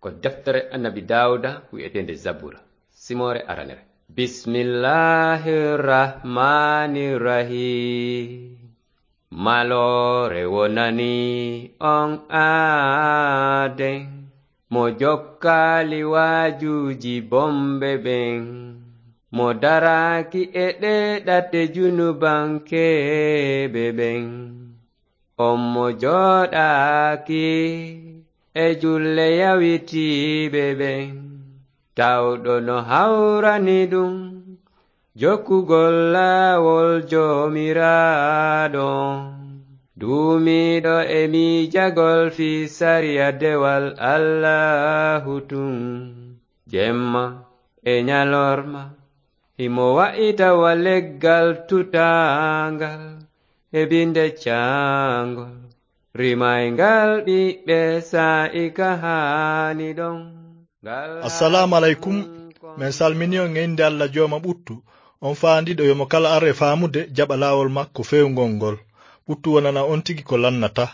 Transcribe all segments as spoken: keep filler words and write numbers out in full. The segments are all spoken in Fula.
Ko deftere Annabi Daawuda wi'eteende Zabura, simoore aranere. Bismillahir Rahmanir Rahim. Maloore wonani on aaden, mo jokkaali waajuuji bomɓe ɓen, mo daraaki e ɗee ɗate junubankeeɓe ɓen. On mo jooɗaaki e julle yawitiiɓe ɓen, tawɗo no hawrani ɗum jokkugol laawol Joomiraaɗo, duumiiɗo e miijagol fii sariya dewal Allaahu tun, jemma e ñalorma. Himo wa'ita wa leggal tutaangal e binde caangol, rimayngal ɓiɓɓe saa'i ka haani ɗon. Ngal Assalaamu aleykum. Men salmini on e innde Alla Jooma ɓuttu, on faandiiɗo yo mo kala ar e faamude jaɓa laawol makko feewngol ngol. Ɓuttu wonana on tigi ko lannata.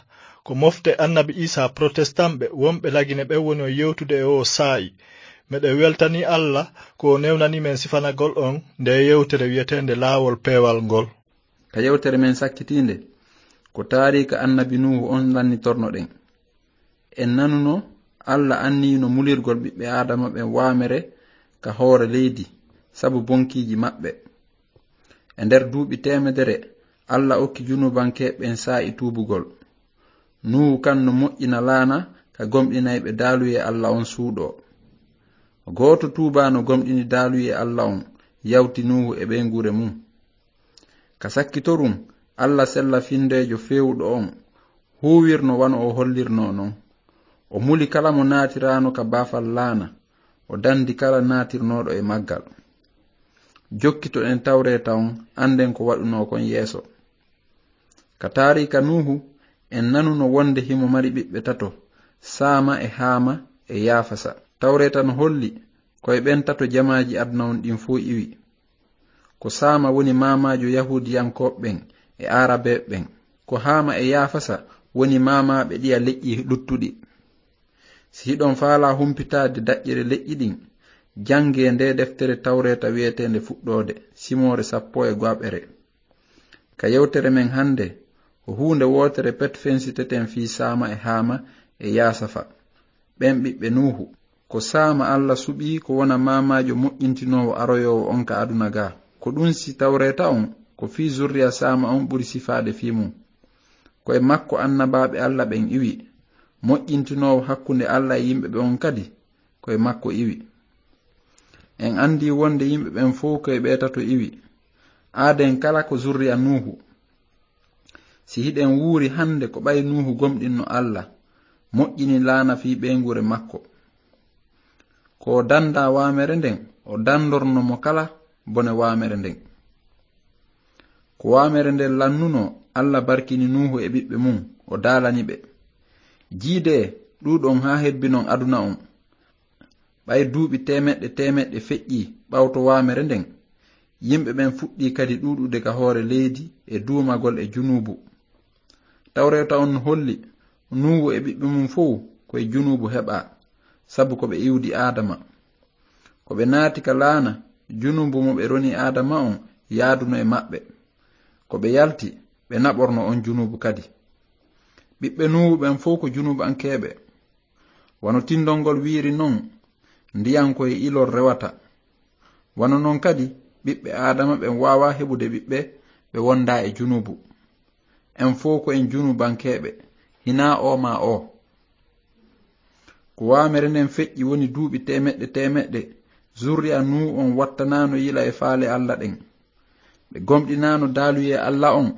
Ko mofte Annabi Iisaa Protestanɓe wonɓe Lagine ɓen woni on yewtude e oo saa'i. Meɗen weltanii Alla ko o newnanii men sifanagol on ndee yewtere wi'eteende Laawol Peewal ngol. Ka yewtere men sakkitiinde, ko taariika Annabi Nuuhu on lannitornoɗen. En nanuno Alla anniyino mulirgol ɓiɓɓe Aadama ɓen waamere ka hoore leydi sabu bonkiiji maɓɓe. E nder duuɓi teemedere, Alla okki junubankeeɓe ɓen saa'i tuubugol. Nuuhu kan no moƴƴina laana ka gomɗinayɓe daaluyee Alla on suuɗoo. Gooto tuubaano gomɗini daaluyee Alla on yawti Nuuhu e ɓeynguure mun. Ka sakkitorum, Alla sella-findeejo feewuɗo on huuwirno wano o hollirnoo non. O muli kala mo naatiraano ka baafal laana, o dandi kala naatirnooɗo e maggal. Jokkitoɗen Tawreeta on, annden ko waɗunoo kon yeeso. Ka taariika Nuuhu, en nanuno wonde himo mari ɓiɓɓe tato, Saama e Haama e Yaafasa. Tawreeta no holli ko e ɓen tato jamaaji aduna on ɗin fow iwi. Ko Saama woni maamaajo Yahuudiyankooɓe ɓen e Aarabeeɓe ɓen. Ko Haama e Yaafasa woni maamaaɓe ɗiya leƴƴi luttuɗi. Si hiɗon faalaa humpitaade daƴƴere leƴƴi ɗin, janngee ndee deftere Tawreeta wi'eteende Fuɗɗoode, simoore sappo e go'aɓere. Ka yewtere men hannde, ko huunde wootere pet fensiteten fii Saama e Haama e Yaasafa, ɓen ɓiɓɓe Nuuhu. Ko Saama Alla suɓii ko wona maamaajo moƴƴintinoowo aroyoowo on ka aduna gaa. Ko ɗun si Tawreeta on, ko fii zurriya Saama on ɓuri sifaade fii mun. Ko e makko annabaaɓe Alla ɓen iwi. Moƴƴintinoowo hakkunde Alla e yimɓe ɓen on kadi, ko e makko iwi. En anndii wonde yimɓe ɓen fow ko e ɓee tato iwi. Aaden kala ko zurriya Nuuhu. Si hiɗen wuuri hannde ko ɓay Nuuhu gomɗinno Alla, moƴƴini laana fii ɓeynguure makko. Ko o dandaa waamere nden, o dandorno mo kala bone waamere nden. Ko waamere nden lannunoo, Alla barkini Nuuhu e ɓiɓɓe mun, o daalani ɓe: Jiidee, ɗuuɗon haa hebbinon aduna on. Ɓay duuɓi teemeɗɗe teemeɗɗe feƴƴii ɓawto waamere nden, yimɓe ɓen fuɗɗii kadi ɗuuɗude ka hoore leydi e duumagol e junuubu. Tawreeta on no holli Nuuhu e ɓiɓɓe mun fow ko e junuubu heɓaa, sabu ko ɓe iwdi Aadama. Ko ɓe naati ka laana, junuubu mo ɓe roni Aadama on yaaduno e maɓɓe. Ko ɓe yalti, ɓe naɓorno on junuubu kadi. Ɓiɓɓe Nuuhu ɓen fow ko junuubankeeɓe. Wano tindol ngol wiiri non, ndiyan ko e ilol rewata. Wano non kadi, ɓiɓɓe Aadama ɓen waawaa heɓude ɓiɓɓe ɓe wondaa e junuubu. En fow ko en junuubankeeɓe, hinaa oo maa oo. Ko waamere nden feƴƴi woni duuɓi teemeɗɗe teemeɗɗe, zurriya Nuuhu on wattanaano yila e faale Alla ɗen. Ɓe gomɗinaano daaluyee Alla on,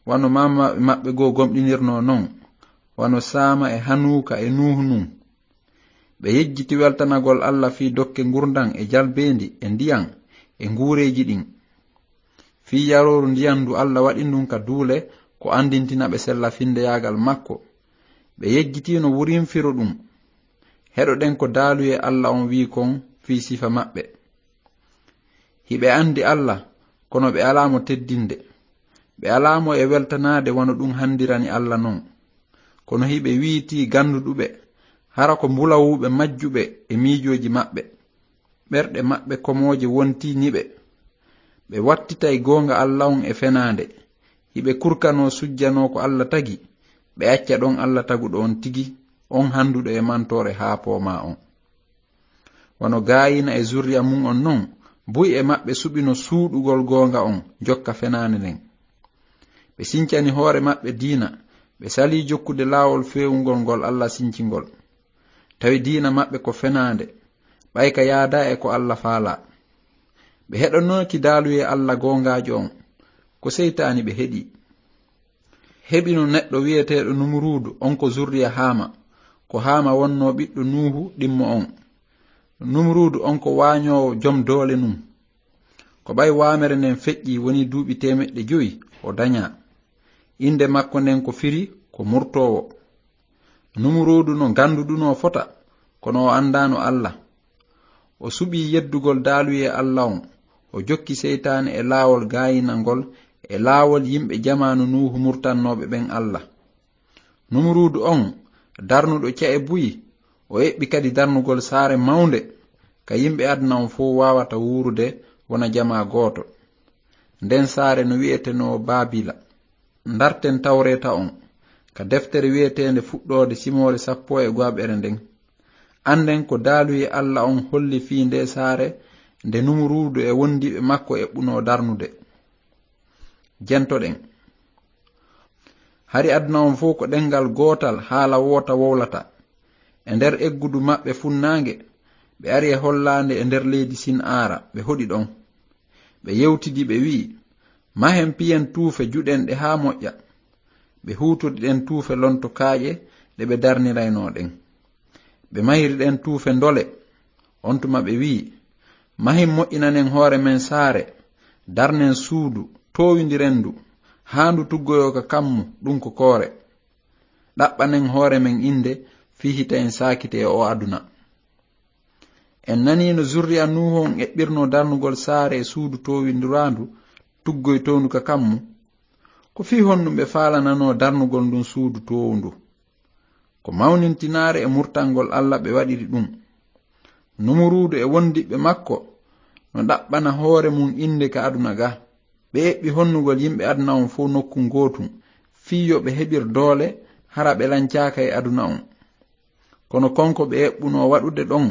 wano maamaaɓe maɓɓe goo gomɗinirnoo non, wano Saama e Hanuuka e Nuuhu nun. Ɓe yejjiti weltanagol Alla fii dokke ngurndan e jalbeendi e ndiyan e nguureeji ɗin. Fii yarooru ndiyan ndu Alla waɗi ndun ka duule ko anndintina ɓe sella-findeyaagal makko. Ɓe yejjitiino wurinfiro ɗun. Heɗoɗen ko daaluyee Alla on wi'i kon fii sifa maɓɓe. Hiɓe anndi Alla, kono ɓe alaa mo teddinde. Ɓe alaa mo e weltanaade wano ɗun handirani Alla non. Kono hiɓe wi'itii gannduɗuɓe, Hara ko mbulawuuɓe majjuɓe e miijooji maɓɓe. Ɓerɗe maɓɓe komooje wontiini ɓe. Ɓe wattitay goonga Alla on e fenaande. Hiɓe kurkanoo sujjanoo ko Alla tagi, ɓe acca ɗon Alla taguɗo on tigi, on handuɗo e mantoore haa poomaa on. Wano Gaayina e zurriya mun on non, buy e maɓɓe suɓino suuɗugol goonga on, jokka fenaande nden. Ɓe sincani hoore maɓɓe diina, ɓe salii jokkude laawol feewungol ngol Alla sinci ngol. Tawi diina maɓɓe ko fenaande, ɓay ka yaadaa e ko Alla faalaa. Ɓe heɗonoki daaluyee Alla goongaajo on, ko seytaani ɓe heɗii. Heɓino neɗɗo wi'eteeɗo Numuruudu, on ko zurriya Haama, ko Haama wonnoo ɓiɗɗo Nuuhu ɗimmo on. Numuruudu on ko waañoowo jom doole nun. Ko ɓay waamere nden feƴƴii woni duuɓi teemeɗɗe jowi o dañaa. Innde makko nden ko firi ko murtoowo. Numuruudu no ganndudunoo fota, kono o anndaano Alla. O suɓii yeddugol daaluyee Alla on, o jokki seytaane e laawol gaayinangol e laawol yimɓe jamaanu Nuuhu murtannooɓe ɓen Alla. Numuruudu on, darnuɗo ca'e buy, o eɓɓi kadi darnugol saare mawnde, ka yimɓe aduna on fow waawata wuurude wona jamaa gooto. Nden saare no wi'etenoo Baabila. Ndarten Tawreeta on, ka deftere wi'eteende Fuɗɗoode simoore sappo e go'aɓere nden. Annden ko daaluyee Alla on holli fii ndee saare nde Numuruudu e wondiiɓe makko eɓɓunoo darnude. Jentoɗen. Hari aduna on fow ko ɗenngal gootal, haala woota wowlata. E nder eggudu maɓɓe funnaange, ɓe ari e hollaande e nder leydi Sin Aara, ɓe hoɗi ɗon. Ɓe yewtidi, ɓe wi'i, "Mahen piyen tuufe, juɗen ɗe haa moƴƴa." Ɓe huutodi ɗen tuufe lonto kaaƴe ɗe ɓe darniraynoo ɗen. Ɓe mahiri ɗen tuufe ndole. On tuma ɓe wi'i, "Mahin moƴƴinanen hoore men saare, darnen suudu, toowindiren ndu, haa ndu tuggoyoo ka kammu, ɗun ko koore. Ɗaɓɓanen hoore men innde fii hita en saakiti e oo aduna." En nanii no zurriya Nuuhu on eɓɓirnoo darnugol saare e suudu toowindiraandu tuggoytoondu ka kammu. Ko fii honɗun ɓe faalananoo darnugol ndun suudu toowundu? Ko mawnintinaare e murtangol Alla ɓe waɗiri ɗun. Numuruudu e wondiɓɓe makko no ɗaɓɓana hoore mun innde ka aduna ga. Ɓe eɓɓi honnugol yimɓe aduna on fow nokku gootun, fii yo ɓe heɓir doole, hara ɓe lancaaka e aduna on. Kono kon ko ɓe eɓɓunoo waɗude ɗon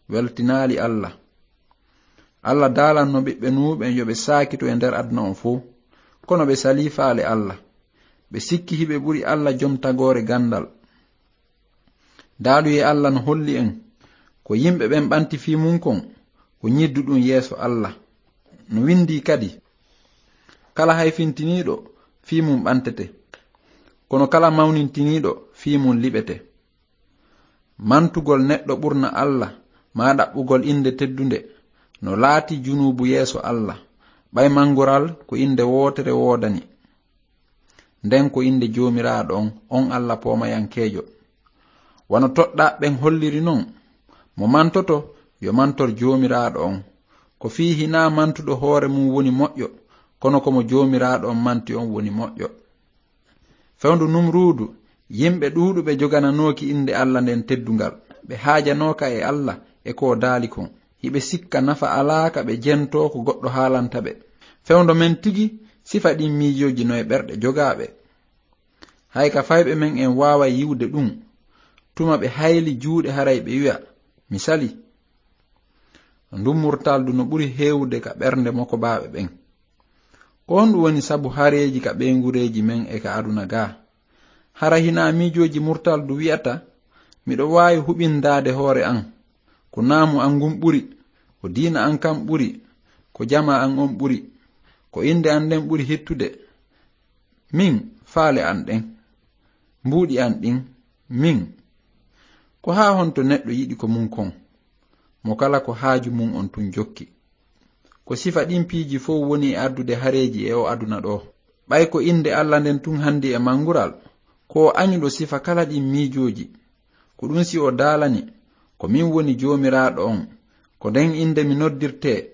weltinaali Alla. Alla daalanno ɓiɓɓe Nuuhu ɓen yo ɓe saakito e nder aduna on fow, kono ɓe salii faale Alla. Ɓe sikki hiɓe ɓuri Alla jom tagoore ganndal. Daaluyee Alla no holli en, ko yimɓe ɓen ɓanti fii mun kon, ko ñidduɗun yeeso Alla. No windii kadi, "Kala hayfintiniiɗo, fii mun ɓantete. Kono kala mawnintiniiɗo, fii mun liɓete." Mantugol neɗɗo ɓurna Alla, maa ɗaɓɓugol innde teddunde, no laati junuubu yeeso Alla, ɓay mangural ko innde wootere woodani. Nden ko innde Joomiraaɗo on, on Alla poomayankeejo. Wano toɗɗaaɓe ɓen holliri non, mo mantoto, yo mantor Joomiraaɗo on. Ko fii hinaa mantuɗo hoore mun woni moƴƴo, kono ko mo Joomiraaɗo on manti on woni moƴƴo. Fewndo Numruudu, yimɓe ɗuuɗuɓe jogananooki innde Alla nden teddungal. Ɓe haajanooka e Alla e ko o daali kon. Hiɓe sikka nafa alaa ka ɓe jentoo ko goɗɗo haalanta ɓe. Fewndo men tigi, sifa ɗin miijooji no e ɓerɗe jogaaɓe. Hay ka fayɓe men en waaway yi'ude ɗun. Tuma ɓe hayli juuɗe haray ɓe wi'a, "Mi sali." Ndun murtaldu no ɓuri heewude ka ɓernde mokobaaɓe ɓen. Ko honɗun woni sabu hareeji ka ɓeyngureeji men e ka aduna gaa? Hara hinaa miijooji murtaldu wi'ata, "Miɗo waawi huɓindaade hoore an. Ko naamu an ngun ɓuri, ko diina an kan ɓuri, ko jamaa an on ɓuri, ko innde an nden ɓuri hittude. Min, faale an ɗen, mbuuɗi an ɗin, min." Ko haa honto neɗɗo yiɗi ko mun kon? Mo kala ko haaju mun on tun jokki. Ko sifa ɗin piiji fow woni e addude hareeji e o aduna ɗoo. Ɓay ko innde Alla nden tun handi e mangural, ko o añuɗo sifa kala ɗin miijooji. Ko ɗun si o daalani, "Ko min woni Joomiraaɗo on, ko nden innde mi noddirtee,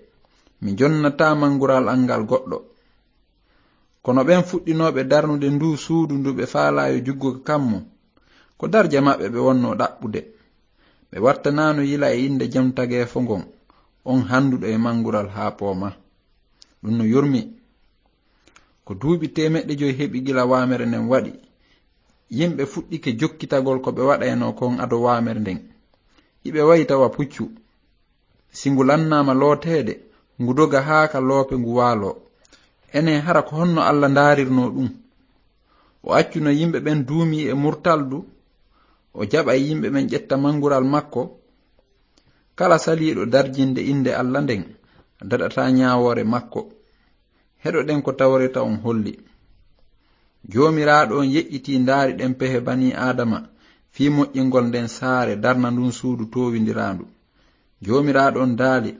mi jonnataa mangural an ngal goɗɗo." Kono ɓen fuɗɗinooɓe darnude nduu suudu ndu ɓe faalaa yo juggu ka kammu, ko darja maɓɓe ɓe wonnoo ɗaɓɓude. Ɓe wattanaano yila e innde jom tageefo ngon, on hannduɗo e manngural haa pooma. Ɗum no yurmi. Ko duuɓi teemeɗɗe joy heɓi gila waamere nden waɗi. Yimɓe fuɗɗike jokkitagol ko ɓe waɗaynoo kon ado waamere nden. Hiɓe wayi tawa puccu. Si ngu lannaama looteede, ngu doga haa ka loope ngu waaloo. Enen hara ko honno Alla ndaarirnoo ɗum? O accuno yimɓe ɓen duumii e murtaldu, o jaɓay yimɓe ɓen ƴetta manngural makko. Kala saliiɗo darjinde innde Alla nden, daɗataa ñaawoore makko. Heɗoɗen ko Tawreeta on holli. Joomiraaɗo on yeƴƴitii ndaari ɗen pehe banii Aadama fii moƴƴingol nden saare darna ndun suudu toowindiraandu. Joomiraaɗo on daali,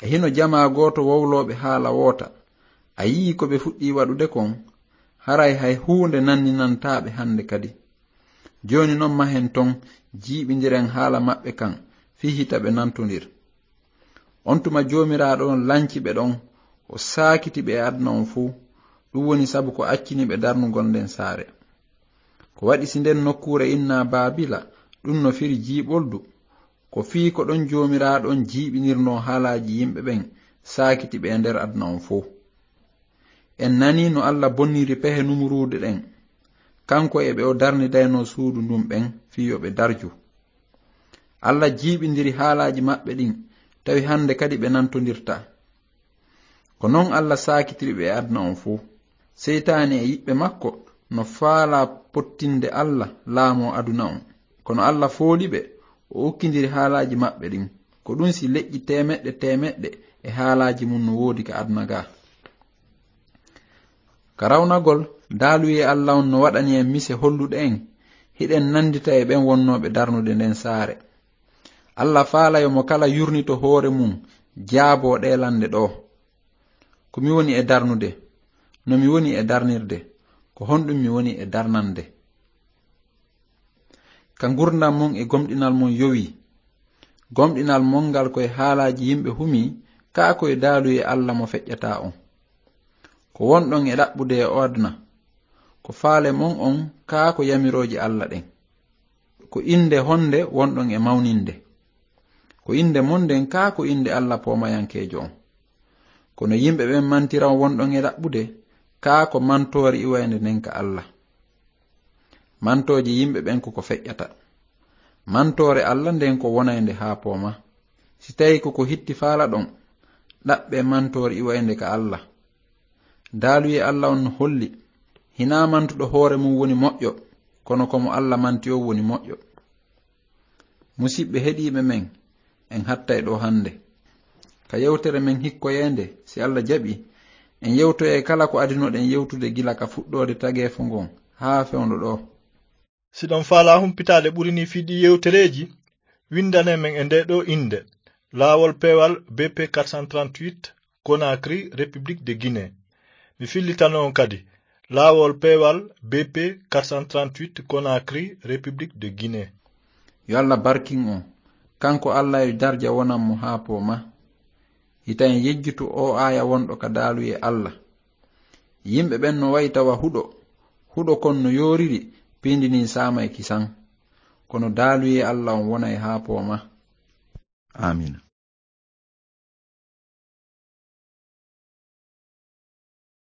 "E hino jamaa gooto wowlooɓe haala woota. A yii ko ɓe fuɗɗii waɗude kon? Haray hay huunde nanninantaa ɓe hannde kadi. Jooni non mahen ton, jiiɓindiren haala maɓɓe kan, fii hita ɓe nantondir." On tuma Joomiraaɗo on lanci ɓe ɗon, o saakiti ɓe e aduna on fow. Ɗum woni sabu ko accini ɓe darnugol nden saare. Ko waɗi si nden nokkuure innaa Baabila, ɗum no firi jiiɓoldu. Ko fii ko ɗon Joomiraaɗo on jiiɓinirnoo haalaaji yimɓe ɓen, saakiti ɓe e nder aduna on fow. En nanii no Alla bonniri pehe Numuruudu ɗen, kanko e ɓe o darnidaynoo suudu ndun ɓen fii yo ɓe darju. Alla jiiɓindiri haalaaji maɓɓe ɗin, tawi hannde kadi ɓe nantondirtaa. Ko non Alla saakitiri ɓe e aduna on fow. Seytaane e yiɓɓe makko no faalaa pottinde Alla laamoo aduna on. Kono Alla fooli ɓe, o ukkindiri haalaaji maɓɓe ɗin. Ko ɗum si leƴƴi teemeɗɗe teemeɗɗe e haalaaji mum no woodi ka aduna gaa. Ka rawnagol, daaluyee Alla on no waɗani en mise holluɗe en, hiɗen nanndita e ɓen wonnooɓe darnude nden saare. Alla faalay mo kala yurnito hoore mum, jaaboo ɗee lannde ɗoo. Ko mi woni e darnude? No mi woni e darnirde? Ko honɗum mi woni e darnande? Ka ngurndan mon e gomɗinal mon yowii. Gomɗinal mon ngal ko e haalaaji yimɓe humii, kaa ko e daaluyee Alla mo feƴƴataa on. Ko wonɗon e ɗaɓɓude e o aduna. Ko faale mon on, kaa ko yamirooje Alla ɗen. Ko innde honde wonɗon e mawninde? Ko innde mon nden kaa ko innde Alla poomayankeejo on? Kono yimɓe ɓen mantira on wonɗon e ɗaɓɓude, kaa ko mantoore iwaynde nden ka Alla? Mantooje yimɓe ɓen ko ko feƴƴata. Mantoore Alla nden ko wonaynde haa pooma. Si tawii ko ko hitti faalaɗon, ɗaɓɓee mantoore iwaynde ka Alla. Daaluyee Alla on no holli, hinaa mantuɗo hoore mum woni moƴƴo, kono ko mo Alla manti on woni moƴƴo. Musiɓɓe heɗiiɓe men, en hattay ɗoo hannde. Ka yewtere men hikkoyeende, si Alla jaɓi, en yewtoyay kala ko adinoɗen yewtude gila ka fuɗɗoode tageefo ngon haa fewndo ɗoo. Si ɗon faalaa humpitaade ɓuri nii fii ɗii yewtereeji, winndane men e ndee ɗoo innde, Laawol Peewal B P quatre cent trente-huit, Conakry, République de Guinée. Mi fillitano on kadi, Laawol Peewal B P quatre cent trente-huit, Conakry, République de Guinée. Yo Alla barkin on, kanko Alla yo darja wonan mo haa pooma. Hita en yejjitu oo aaya wonɗo ka daaluyee Alla. Yimɓe ɓen no wayi tawa huɗo, huɗo kon no yooriri, piindi ndin saamay kisan. Kono daaluyee Alla on wonay haa pooma. Aamiina.